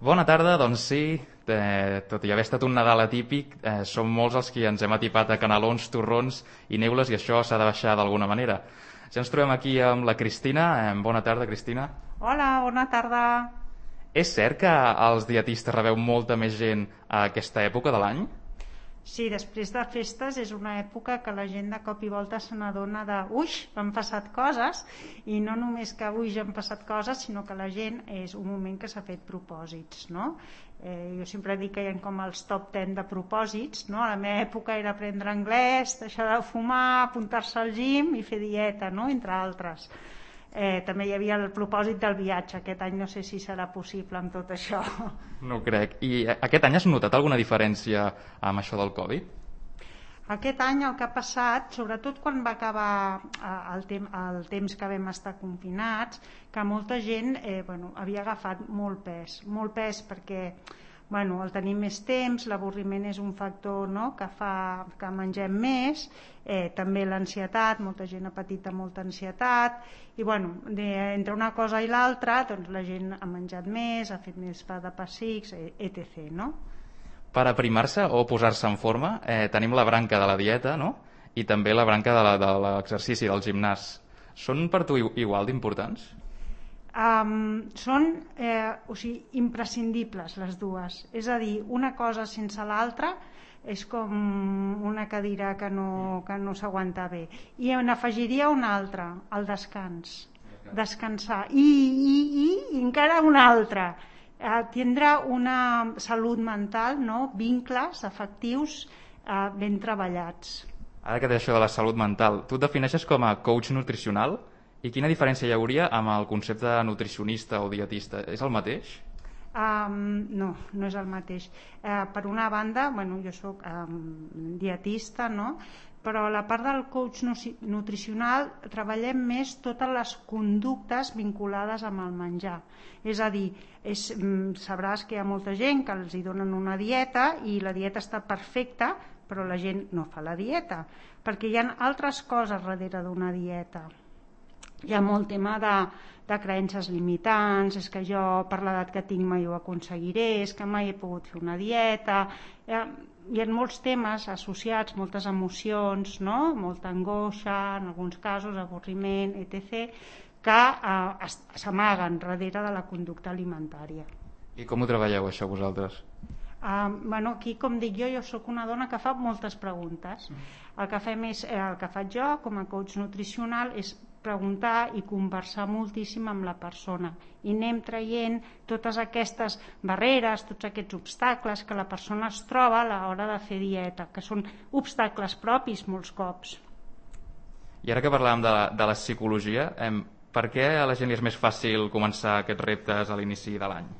Bona tarda, doncs sí, tot i haver estat un Nadal atípic, som molts els que ens hem atipat a canelons, torrons i neules i això s'ha de baixar d'alguna manera. Ja ens trobem aquí amb la Cristina. Bona tarda, Cristina. Hola, bona tarda. És cert que els dietistes rebeu molta més gent a aquesta època de l'any? Sí, després de festes és una època que la gent de cop i volta se n'adona de uix, han passat coses, i no només que uix han passat coses, sinó que la gent és un moment que s'ha fet propòsits, no? Jo sempre dic que hi ha com els top 10 de propòsits, no? A la meva època era aprendre anglès, deixar de fumar, apuntar-se al gim i fer dieta, no? Entre altres. També hi havia el propòsit del viatge. Aquest any no sé si serà possible amb tot això. No ho crec. I aquest any has notat alguna diferència amb això del Covid? Aquest any el que ha passat, sobretot quan va acabar el temps que vam estar confinats, que molta gent havia agafat molt pes perquè el tenir més temps, l'avorriment és un factor, no?, que fa que mengem més, també l'ansietat, molta gent ha patit molta ansietat, i entre una cosa i l'altra doncs la gent ha menjat més, ha fet més pa de pessics, etc. No? Per aprimar-se o posar-se en forma tenim la branca de la dieta, no?, i també la branca de l'exercici, del gimnàs. Són per tu igual d'importants? Són imprescindibles les dues, és a dir, una cosa sense l'altra és com una cadira que no s'aguanta bé. I n'afegiria una altra, el descansar, i encara una altra, tindre una salut mental, no? Vincles afectius ben treballats. Ara que té això de la salut mental, tu et defineixes com a coach nutricional? I quina diferència hi hauria amb el concepte de nutricionista o dietista? És el mateix? No és el mateix. Per una banda, jo soc dietista, no? Però a la part del coach nutricional treballem més totes les conductes vinculades amb el menjar. És a dir, sabràs que hi ha molta gent que els donen una dieta i la dieta està perfecta, però la gent no fa la dieta, perquè hi ha altres coses darrere d'una dieta. Hi ha molt tema de creences limitants, és que jo per l'edat que tinc mai ho aconseguiré, és que mai he pogut fer una dieta. Hi ha molts temes associats, moltes emocions, no? Molta angoixa, en alguns casos avorriment, etc., que s'amaguen darrere de la conducta alimentària. I com ho treballeu això vosaltres? Aquí, com dic jo soc una dona que fa moltes preguntes. El que faig jo com a coach nutricional és preguntar i conversar moltíssim amb la persona i anem traient totes aquestes barreres, tots aquests obstacles que la persona es troba a l'hora de fer dieta, que són obstacles propis molts cops. I ara que parlàvem de la psicologia, per què a la gent li és més fàcil començar aquests reptes a l'inici de l'any?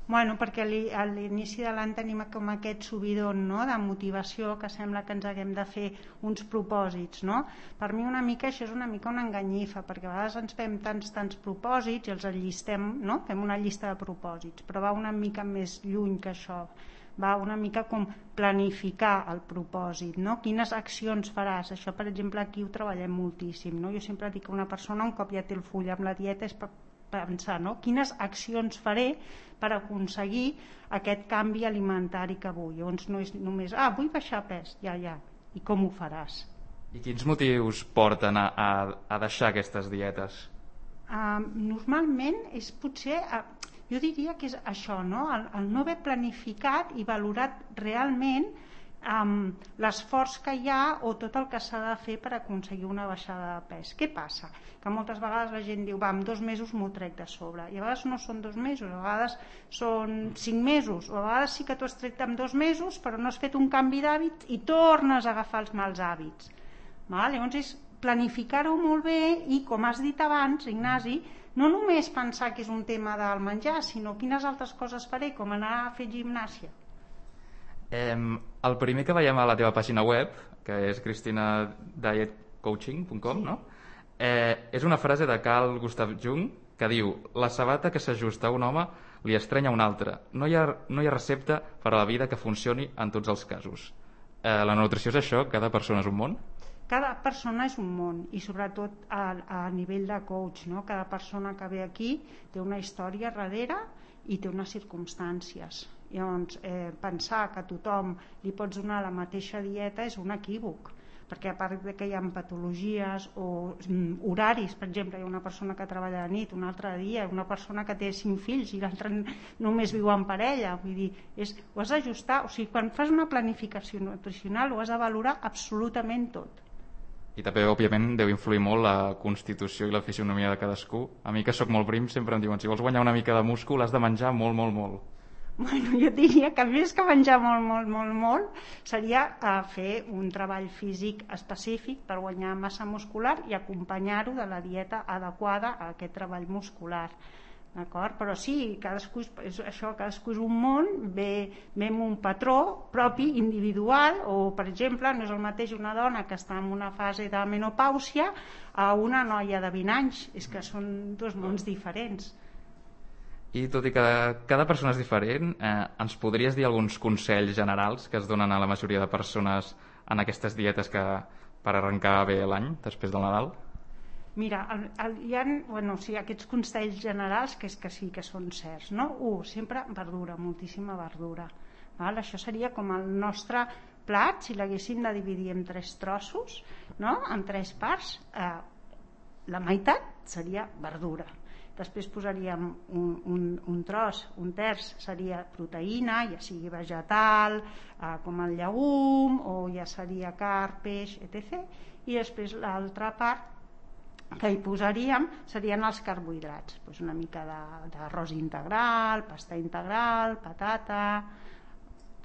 Perquè a l'inici de l'any tenim com aquest subidon, no?, de motivació, que sembla que ens haguem de fer uns propòsits, no? Per mi una mica això és una mica una enganyifa, perquè a vegades ens fem tants propòsits i els enllistem, no? Fem una llista de propòsits, però va una mica més lluny que això, va una mica com planificar el propòsit, no? Quines accions faràs? Això, per exemple, aquí ho treballem moltíssim, no? Jo sempre dic que una persona, un cop ja té el full amb la dieta, és per pensar, no? Quines accions faré per aconseguir aquest canvi alimentari que vull. Llavors no és només, vull baixar pes, ja, i com ho faràs? I quins motius porten a deixar aquestes dietes? Normalment és potser, jo diria que és això, no? El no haver planificat i valorat realment l'esforç que hi ha o tot el que s'ha de fer per aconseguir una baixada de pes. Què passa? Que moltes vegades la gent diu, en 2 mesos m'ho trec de sobre, i a vegades no són 2 mesos, a vegades són 5 mesos, o a vegades sí que t'ho has tret en 2 mesos però no has fet un canvi d'hàbit i tornes a agafar els mals hàbits. Llavors és planificar-ho molt bé i, com has dit abans, Ignasi, no només pensar que és un tema del menjar, sinó quines altres coses faré, com anar a fer gimnàsia. El primer que veiem a la teva pàgina web, que és cristinadietcoaching.com, no? És una frase de Carl Gustav Jung que diu: la sabata que s'ajusta a un home li estrenya a un altre. No hi ha recepta per a la vida que funcioni en tots els casos. La nutrició és això? Cada persona és un món? Cada persona és un món, i sobretot a nivell de coach, no? Cada persona que ve aquí té una història darrere i té unes circumstàncies. Llavors, pensar que a tothom li pots donar la mateixa dieta és un equívoc, perquè a part de que hi ha patologies o horaris, per exemple, hi ha una persona que treballa de nit, una altra de dia, una persona que té 5 fills i l'altra només viu en parella, vull dir, ho has d'ajustar, o sigui, quan fas una planificació nutricional ho has de valorar absolutament tot. I també, òbviament, deu influir molt la constitució i la fisionomia de cadascú. A mi, que sóc molt prim, sempre em diuen, si vols guanyar una mica de múscul has de menjar molt, molt, molt. Bueno, jo diria que més que menjar molt, seria fer un treball físic específic per guanyar massa muscular i acompanyar-ho de la dieta adequada a aquest treball muscular. D'acord? Però sí, cadascú és un món, ve amb un patró propi, individual, o per exemple no és el mateix una dona que està en una fase de menopàusia a una noia de 20 anys, és que són dos mons diferents. I tot i que cada persona és diferent, ens podries dir alguns consells generals que es donen a la majoria de persones en aquestes dietes per arrencar bé l'any després del Nadal? Mira, hi ha aquests consells generals que sí que són certs, no? Sempre verdura, moltíssima verdura. Val? Això seria com el nostre plat, si l'haguéssim de dividir en 3 trossos, no? En 3 parts, la meitat seria verdura. Després posaríem un tros, un terç seria proteïna, ja sigui vegetal, com el llegum, o ja seria carn, peix, etc. I després l'altra part que hi posaríem serien els carbohidrats, una mica d'arròs integral, pasta integral, patata,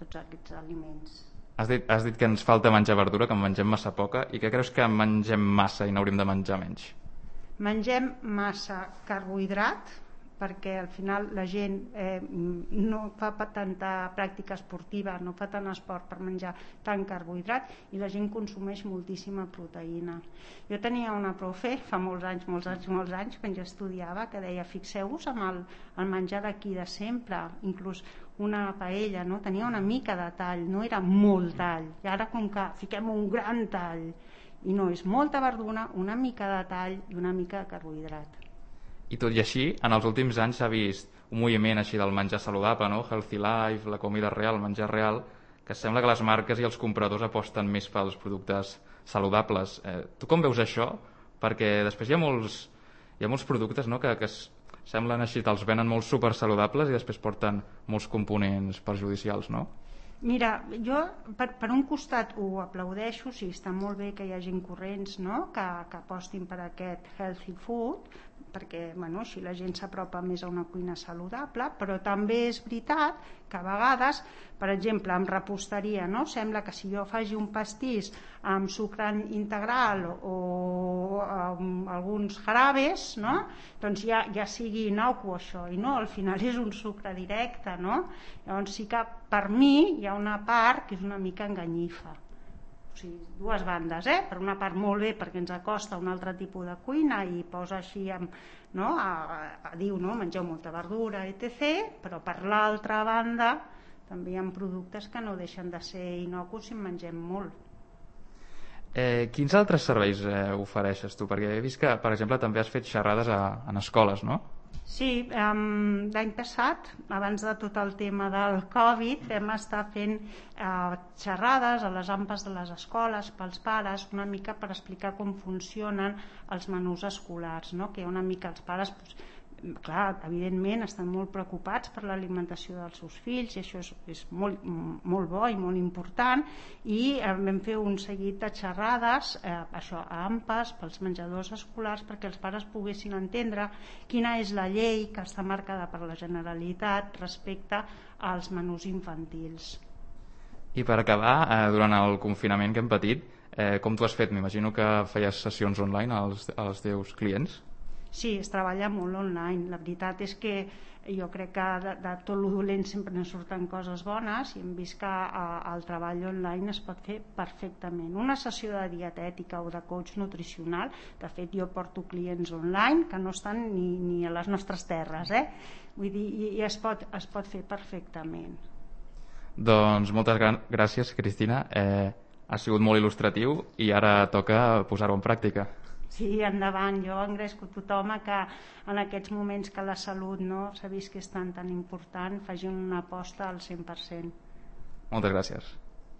tots aquests aliments. Has dit que ens falta menjar verdura, que en mengem massa poca, i que creus que mengem massa i n'hauríem de menjar menys? Mengem massa carbohidrat perquè al final la gent no fa tanta pràctica esportiva, no fa tant esport per menjar tant carbohidrat i la gent consumeix moltíssima proteïna. Jo tenia una profe fa molts anys quan jo estudiava que deia, fixeu-vos amb el menjar d'aquí de sempre, inclús una paella, no? Tenia una mica de tall, no era molt tall, i ara com que fiquem un gran tall, i no, és molta verdura, una mica de tall i una mica de carbohidrat. I tot i així, en els últims anys s'ha vist un moviment així del menjar saludable, no? Healthy Life, la comida real, el menjar real, que sembla que les marques i els compradors aposten més pels productes saludables. Tu com veus això? Perquè després hi ha molts productes, no? que semblen així, te'ls venen molt supersaludables i després porten molts components perjudicials, no? Mira, jo per un costat ho aplaudeixo, sí, està molt bé que hi hagi corrents, no? que apostin per aquest healthy food, perquè així la gent s'apropa més a una cuina saludable, però també és veritat que a vegades, per exemple, en reposteria, no? Sembla que si jo faci un pastís amb sucre integral o alguns jarabes, no? Doncs ja sigui innocu això, i no, al final és un sucre directe, no? Llavors sí que per mi hi ha una part que és una mica enganyifa. O sigui, dues bandes, per una part molt bé perquè ens acosta a un altre tipus de cuina i posa així diu, no? Mengeu molta verdura, etc, però per l'altra banda també hi ha productes que no deixen de ser innocus si en mengem molt. Quins altres serveis ofereixes tu? Perquè he vist que, per exemple, també has fet xerrades en escoles, no? Sí, l'any passat, abans de tot el tema del Covid, vam estar fent xerrades a les ampes de les escoles pels pares, una mica per explicar com funcionen els menús escolars, no? Que una mica els pares, clar, evidentment estan molt preocupats per l'alimentació dels seus fills i això és molt, molt bo i molt important, i vam fer un seguit de xerrades a ampes pels menjadors escolars perquè els pares poguessin entendre quina és la llei que està marcada per la Generalitat respecte als menús infantils. I per acabar, durant el confinament que hem patit, com t'ho has fet? M'imagino que feies sessions online als teus clients? Sí, es treballa molt online. La veritat és que jo crec que de tot lo dolent sempre ne surten coses bones i hem vist que el treball online es pot fer perfectament. Una sessió de dietètica o de coach nutricional, de fet jo porto clients online que no estan ni a les nostres terres, vull dir, i es pot fer perfectament. Doncs moltes gràcies, Cristina. Ha sigut molt il·lustratiu i ara toca posar-ho en pràctica. Sí, endavant. Jo engresco tothom a que en aquests moments que la salut s'ha vist que és tan important, facin una aposta al 100%. Moltes gràcies.